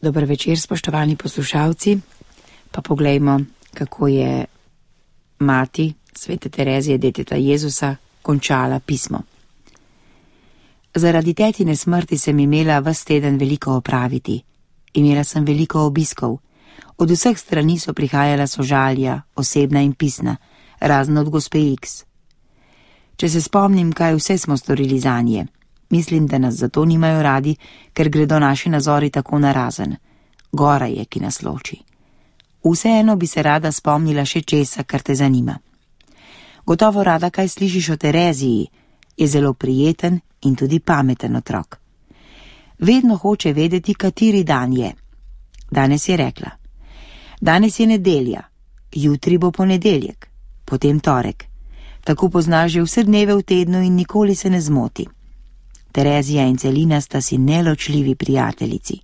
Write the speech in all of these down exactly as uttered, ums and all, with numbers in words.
Dober večer, spoštovani poslušalci. Pa poglejmo, kako je mati svete Terezije, deteta Jezusa, končala pismo. Zaradi tetine smrti sem imela ves teden veliko opraviti. Imela sem veliko obiskov. Od vseh strani so prihajala sožalja, osebna in pisna, razno od gospe X. Če se spomnim, kaj vse smo storili zanje, mislim, da nas zato nimajo radi, ker gredo naši nazori tako narazen. Gora je, ki nas loči. Vseeno bi se rada spomnila še česa, kar te zanima. Gotovo rada kaj slišiš o Tereziji, je zelo prijeten in tudi pameten otrok. Vedno hoče vedeti, kateri dan je. Danes je rekla: danes je nedelja, jutri bo ponedeljek, potem torek. Tako pozna že vse dneve v tednu in nikoli se ne zmoti. Terezija in Celina sta si neločljivi prijateljici.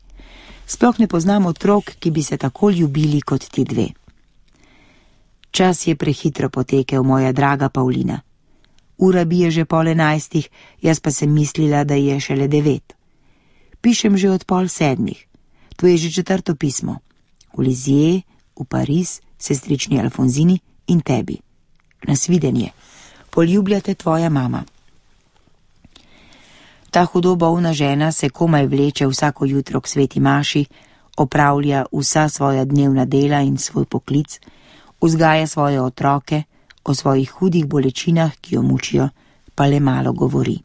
Sploh ne poznam otrok, ki bi se tako ljubili kot ti dve. Čas je prehitro potekel, moja draga Pavlina. Ura bije že pol enajstih, jaz pa sem mislila, da je šele devet. Pišem že od pol sedmih. To je že četrto pismo. V Lizije, v Pariz, sestrični Alfonzini in tebi. Nasvidenje. Poljubljate tvoja mama. Ta hudo bolna žena se komaj vleče vsako jutro k sveti maši, opravlja vsa svoja dnevna dela in svoj poklic, vzgaja svoje otroke, o svojih hudih bolečinah, ki jo mučijo, pa le malo govori.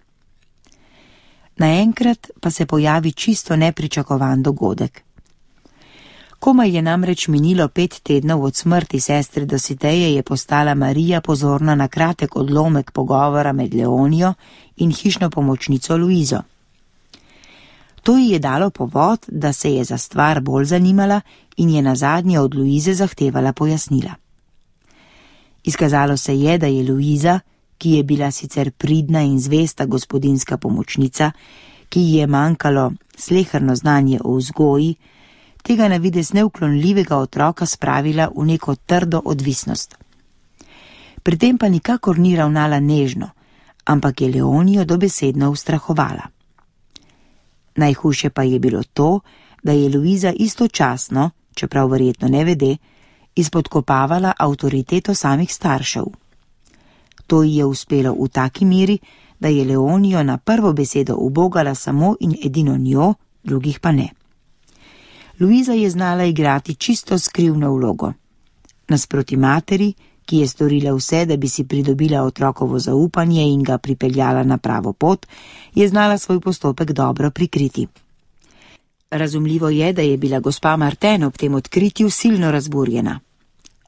Naenkrat pa se pojavi čisto nepričakovan dogodek. Komaj je namreč minilo pet tednov od smrti sestre Dositeje, je postala Marija pozorna na kratek odlomek pogovora med Leonijo in hišno pomočnico Luizo. To ji je dalo povod, da se je za stvar bolj zanimala in je nazadnje od Luize zahtevala pojasnila. Izkazalo se je, da je Luiza, ki je bila sicer pridna in zvesta gospodinska pomočnica, ki ji je manjkalo sleherno znanje o vzgoji, tega na videz neuklonljivega otroka spravila v neko trdo odvisnost. Pri tem pa nikakor ni ravnala nežno, ampak je Leonijo dobesedno ustrahovala. Najhujše pa je bilo to, da je Luiza istočasno, čeprav verjetno ne vede, izpodkopavala avtoriteto samih staršev. To ji je uspelo v taki meri, da je Leonijo na prvo besedo ubogala samo in edino njo, drugih pa ne. Luiza je znala igrati čisto skrivno vlogo. Nasproti materi, ki je storila vse, da bi si pridobila otrokovo zaupanje in ga pripeljala na pravo pot, je znala svoj postopek dobro prikriti. Razumljivo je, da je bila gospa Martin ob tem odkritju silno razburjena.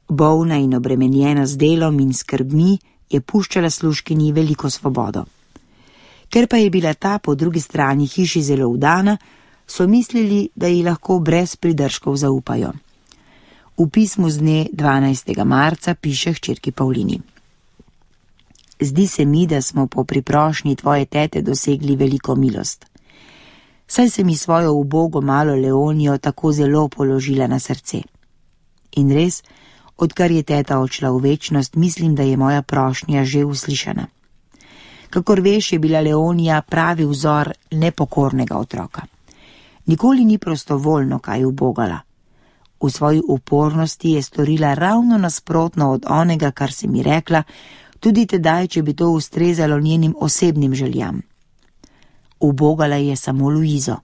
Bolna in obremenjena z delom in skrbmi je puščala služkinji veliko svobodo. Ker pa je bila ta po drugi strani hiši zelo vdana, so mislili, da ji lahko brez pridržkov zaupajo. V pismu z dne dvanajstega marca piše hčerki Pavlini: zdi se mi, da smo po priprošnji tvoje tete dosegli veliko milost. Saj se mi svojo ubogo malo Leonijo tako zelo položila na srce. In res, odkar je teta odšla v večnost, mislim, da je moja prošnja že uslišana. Kakor veš, je bila Leonija pravi vzor nepokornega otroka. Nikoli ni prostovoljno kaj ubogala. V svoji upornosti je storila ravno nasprotno od onega, kar si mi rekla, tudi tedaj, če bi to ustrezalo njenim osebnim željam. Ubogala je samo Luizo.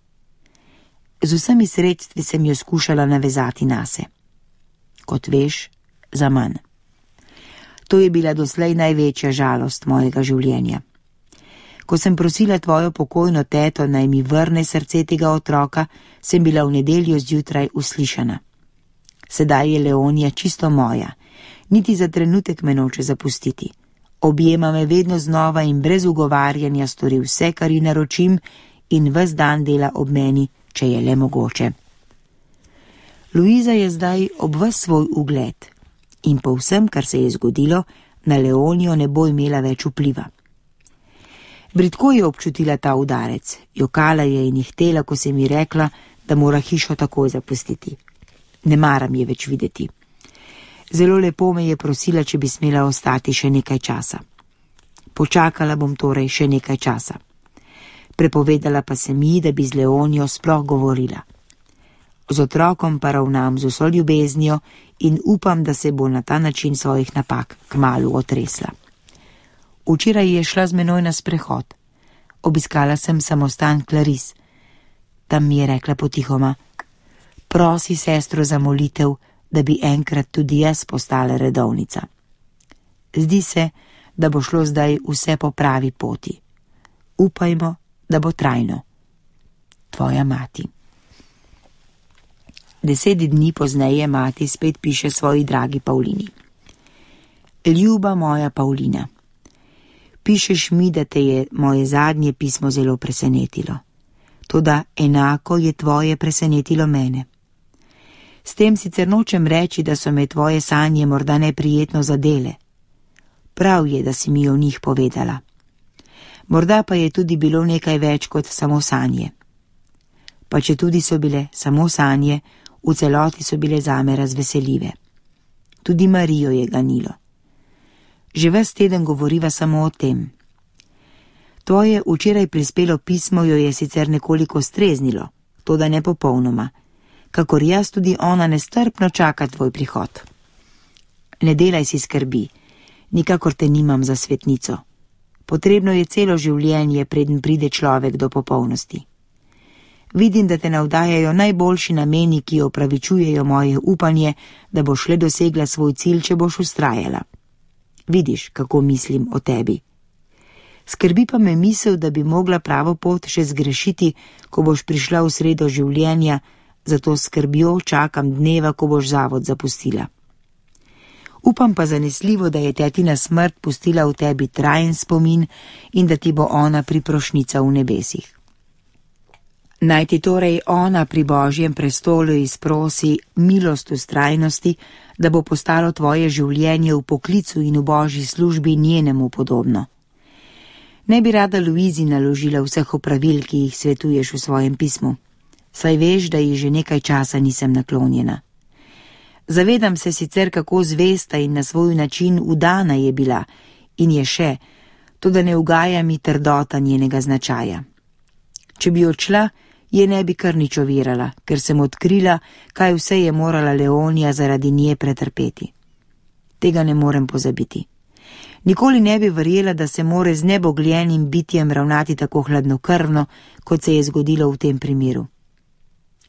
Z vsemi sredstvi sem jo skušala navezati nase. Kot veš, za manj. To je bila doslej največja žalost mojega življenja. Ko sem prosila tvojo pokojno teto, naj mi vrne srce tega otroka, sem bila v nedeljo zjutraj uslišana. Sedaj je Leonija čisto moja, niti za trenutek me noče zapustiti. Objema me vedno znova in brez ugovarjanja stori vse, kar ji naročim, in ves dan dela ob meni, če je le mogoče. Luiza je zdaj ob ves svoj ugled in po vsem, kar se je zgodilo, na Leonijo ne bo imela več vpliva. Bridko je občutila ta udarec, jokala je in ihtela, ko se mi rekla, da mora hišo takoj zapustiti. Ne maram je več videti. Zelo lepo me je prosila, če bi smela ostati še nekaj časa. Počakala bom torej še nekaj časa. Prepovedala pa se mi, da bi z Leonijo sploh govorila. Z otrokom pa ravnam z vso ljubeznijo in upam, da se bo na ta način svojih napak kmalu otresla. Včeraj je šla z menoj na sprehod. Obiskala sem samostan Clarice. Tam mi je rekla potihoma: prosi sestro za molitev, da bi enkrat tudi jaz postala redovnica. Zdi se, da bo šlo zdaj vse po pravi poti. Upajmo, da bo trajno. Tvoja mati. Deset dni pozneje mati spet piše svoji dragi Pavlini. Ljuba moja Pavlina, pišeš mi, da te je moje zadnje pismo zelo presenetilo. Toda enako je tvoje presenetilo mene. S tem sicer nočem reči, da so me tvoje sanje morda neprijetno zadele. Prav je, da si mi o njih povedala. Morda pa je tudi bilo nekaj več kot samo sanje. Pa če tudi so bile samo sanje, v celoti so bile zame razveseljive. Tudi Marijo je ganilo. Že ves teden govoriva samo o tem. Tvoje včeraj prispelo pismo jo je sicer nekoliko streznilo, toda ne popolnoma, kakor jaz tudi ona nestrpno čaka tvoj prihod. Ne delaj si skrbi, nikakor te nimam za svetnico. Potrebno je celo življenje, preden pride človek do popolnosti. Vidim, da te navdajajo najboljši nameni, ki opravičujejo moje upanje, da boš le dosegla svoj cilj, če boš ustrajala. Vidiš, kako mislim o tebi. Skrbi pa me misel, da bi mogla pravo pot še zgrešiti, ko boš prišla v sredo življenja, zato skrbjo čakam dneva, ko boš zavod zapustila. Upam pa zanesljivo, da je tetina smrt pustila v tebi trajen spomin in da ti bo ona priprošnica v nebesih. Naj ti torej ona pri Božjem prestolu izprosi milost vztrajnosti, da bo postalo tvoje življenje v poklicu in v Božji službi njenemu podobno. Ne bi rada Luizi naložila vseh opravil, ki jih svetuješ v svojem pismu, saj veš, da ji že nekaj časa nisem naklonjena. Zavedam se sicer, kako zvesta in na svoj način udana je bila in je še, toda ne ugaja mi trdota njenega značaja. Če bi odšla, je ne bi kar nič ovirala, ker sem odkrila, kaj vse je morala Leonija zaradi nje pretrpeti. Tega ne morem pozabiti. Nikoli ne bi verjela, da se more z nebogljenim bitjem ravnati tako hladnokrvno, kot se je zgodilo v tem primeru.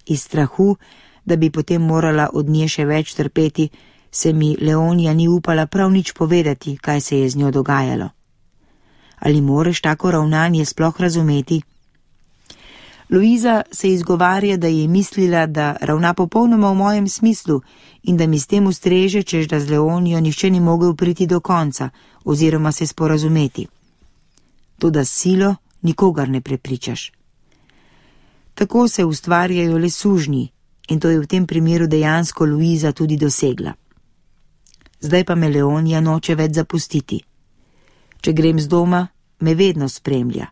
Iz strahu, da bi potem morala od nje še več trpeti, se mi Leonija ni upala prav nič povedati, kaj se je z njo dogajalo. Ali moreš tako ravnanje sploh razumeti? Luiza se izgovarja, da je mislila, da ravna popolnoma v mojem smislu in da mi s tem ustreže, čež da z Leonijo nihče ni mogel priti do konca oziroma se sporazumeti. Toda s silo nikogar ne prepričaš. Tako se ustvarjajo le sužnji in to je v tem primeru dejansko Luiza tudi dosegla. Zdaj pa me Leonija noče več zapustiti. Če grem z doma, me vedno spremlja.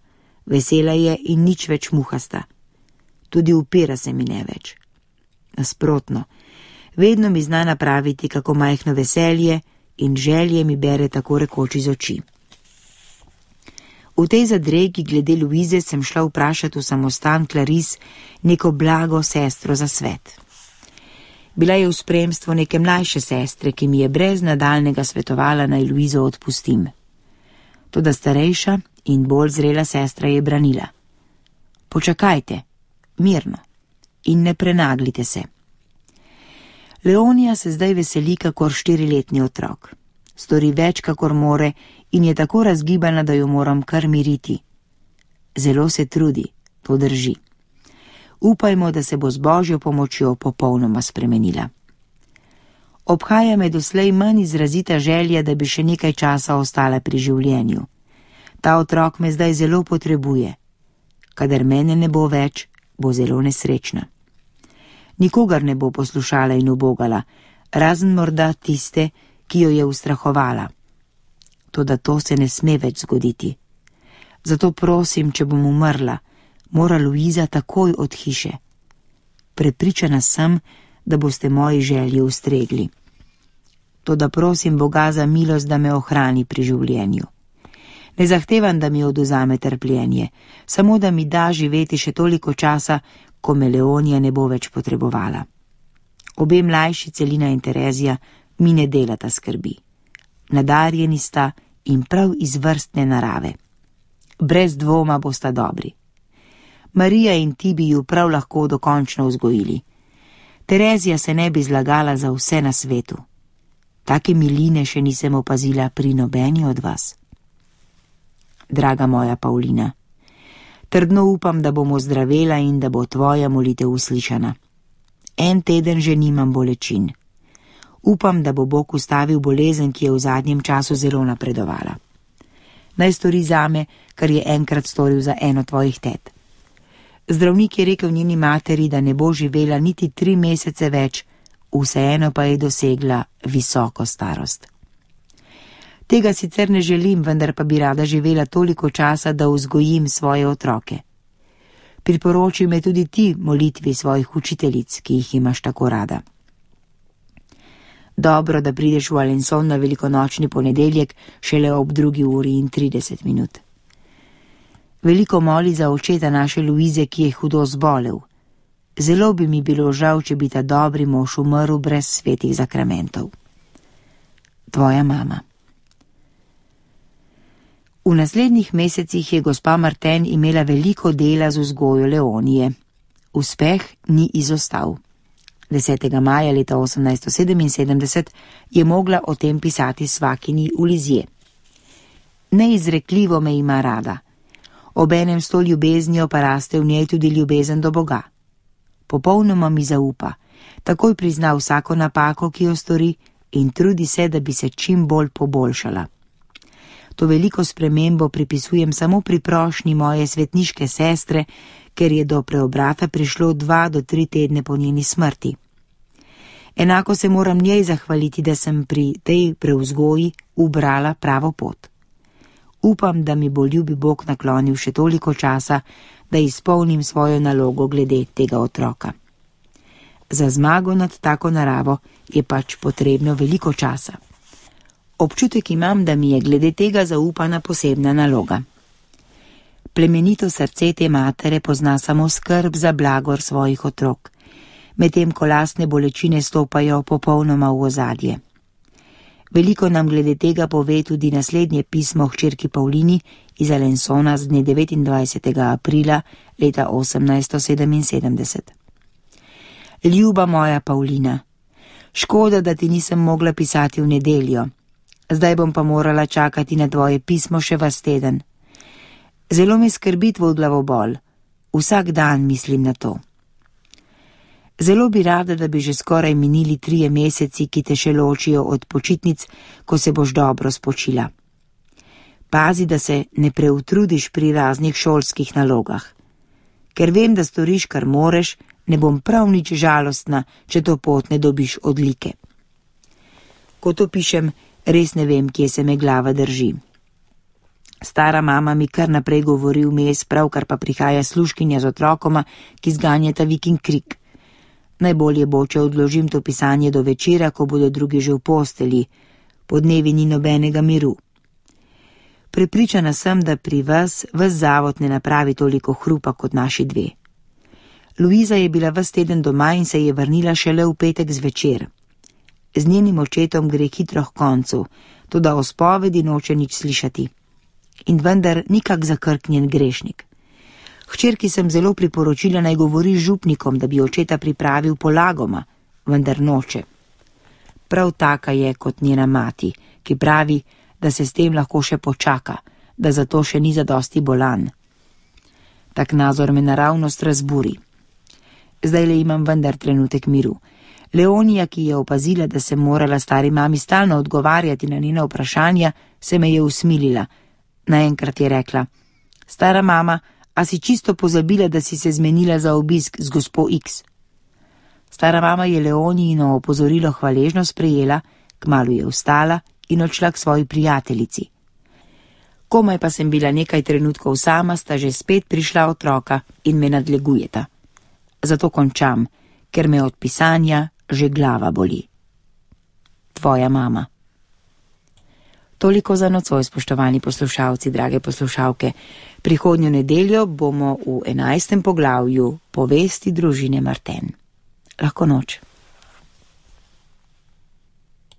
Vesela je in nič več muhasta. Tudi upira se mi ne več. Nasprotno, vedno mi zna napraviti kako majhno veselje in želje mi bere tako rekoč iz oči. V tej zadregi glede Luize sem šla vprašati v samostan Clarice neko blago sestro za svet. Bila je v spremstvu neke mlajše sestre, ki mi je brez nadaljnega svetovala, naj Luizo odpustim. Toda starejša in bolj zrela sestra je branila. Počakajte, mirno, in ne prenaglite se. Leonija se zdaj veseli kakor štiriletni otrok. Stori več kakor more in je tako razgibana, da jo moram kar miriti. Zelo se trudi, to drži. Upajmo, da se bo z Božjo pomočjo popolnoma spremenila. Obhaja me doslej manj izrazita želja, da bi še nekaj časa ostala pri življenju. Ta otrok me zdaj zelo potrebuje. Kadar mene ne bo več, bo zelo nesrečna. Nikogar ne bo poslušala in ubogala, razen morda tiste, ki jo je ustrahovala. Toda to se ne sme več zgoditi. Zato prosim, če bom umrla, mora Luiza takoj od hiše. Prepričana sem, da boste moji želji ustregli. Toda prosim Boga za milost, da me ohrani pri življenju. Ne zahtevam, da mi odvzame trpljenje, samo da mi da živeti še toliko časa, ko me Leonija ne bo več potrebovala. Obe mlajši, Celina in Terezija, mi ne delata skrbi. Nadarjeni sta in prav izvrstne narave. Brez dvoma bosta dobri. Marija in ti bi ju prav lahko dokončno vzgojili. Terezija se ne bi zlagala za vse na svetu. Take miline še nisem opazila pri nobeni od vas. Draga moja Pavlina, trdno upam, da bom ozdravela in da bo tvoja molitev uslišana. En teden že nimam bolečin. Upam, da bo Bog ustavil bolezen, ki je v zadnjem času zelo napredovala. Naj stori zame, kar je enkrat storil za eno tvojih tet. Zdravnik je rekel njeni materi, da ne bo živela niti tri mesece več, vseeno pa je dosegla visoko starost. Tega sicer ne želim, vendar pa bi rada živela toliko časa, da vzgojim svoje otroke. Priporoči me tudi ti molitvi svojih učiteljic, ki jih imaš tako rada. Dobro, da prideš v Alençon na velikonočni ponedeljek šele ob drugi uri in trideset minut. Veliko moli za očeta naše Luize, ki je hudo zbolel. Zelo bi mi bilo žal, če bi ta dobri mož umrl brez svetih zakramentov. Tvoja mama. V naslednjih mesecih je gospa Martin imela veliko dela z vzgojo Leonije. Uspeh ni izostal. desetega maja leta osemnajststo sedeminsedemdeset je mogla o tem pisati svakini v Lizije. Neizrekljivo me ima rada. Obenem s to ljubeznijo pa raste v njej tudi ljubezen do Boga. Popolnoma mi zaupa, takoj prizna vsako napako, ki jo stori, in trudi se, da bi se čim bolj poboljšala. To veliko spremembo pripisujem samo pri prošnji moje svetniške sestre, ker je do preobrata prišlo dva do tri tedne po njeni smrti. Enako se moram njej zahvaliti, da sem pri tej prevzgoji ubrala pravo pot. Upam, da mi bo ljubi Bog naklonil še toliko časa, da izpolnim svojo nalogo glede tega otroka. Za zmago nad tako naravo je pač potrebno veliko časa. Občutek imam, da mi je glede tega zaupana posebna naloga. Plemenito srce te matere pozna samo skrb za blagor svojih otrok, medtem ko lastne bolečine stopajo popolnoma v ozadje. Veliko nam glede tega pove tudi naslednje pismo hčerki Pavlini iz Alençona z dne devetindvajsetega aprila leta osemnajststo sedeminsedemdeset. Ljuba moja Pavlina, škoda, da ti nisem mogla pisati v nedeljo. Zdaj bom pa morala čakati na tvoje pismo še vas teden. Zelo me skrbi tvoj glavobol. Vsak dan mislim na to. Zelo bi rada, da bi že skoraj minili trije meseci, ki te še ločijo od počitnic, ko se boš dobro spočila. Pazi, da se ne preutrudiš pri raznih šolskih nalogah. Ker vem, da storiš, kar moreš, ne bom prav nič žalostna, če to pot ne dobiš odlike. Ko to pišem, res ne vem, kje se me glava drži. Stara mama mi kar naprej govori vmes, pravkar pa prihaja služkinja z otrokoma, ki zganjata vik in krik. Najbolje bo, če odložim to pisanje do večera, ko bodo drugi že v posteli. Po dnevi ni nobenega miru. Prepričana sem, da pri vas ves zavod ne napravi toliko hrupa kot naši dve. Luiza je bila ves teden doma in se je vrnila šele v petek zvečer. Z njenim očetom gre hitro k koncu, toda o spovedi noče nič slišati. In vendar nikak zakrknjen grešnik. Hčerki sem zelo priporočila, naj govori z župnikom, da bi očeta pripravil polagoma, vendar noče. Prav taka je kot njena mati, ki pravi, da se s tem lahko še počaka, da zato še ni zadosti bolan. Tak nazor me naravnost razburi. Zdaj le imam vendar trenutek miru. Leonija, ki je opazila, da sem morala stari mami stalno odgovarjati na njena vprašanja, se me je usmilila. Naenkrat je rekla: Stara mama, a si čisto pozabila, da si se zmenila za obisk z gospo X? Stara mama je Leonijino opozorilo hvaležno sprejela, kmalu je vstala in odšla k svoji prijateljici. Komaj pa sem bila nekaj trenutkov sama, sta že spet prišla otroka in me nadlegujeta. Zato končam, ker me od pisanja že glava boli. Tvoja mama. Toliko za nocoj, spoštovani poslušalci, drage poslušalke. Prihodnjo nedeljo bomo v enajstem poglavju povesti družine Marten. Lahko noč.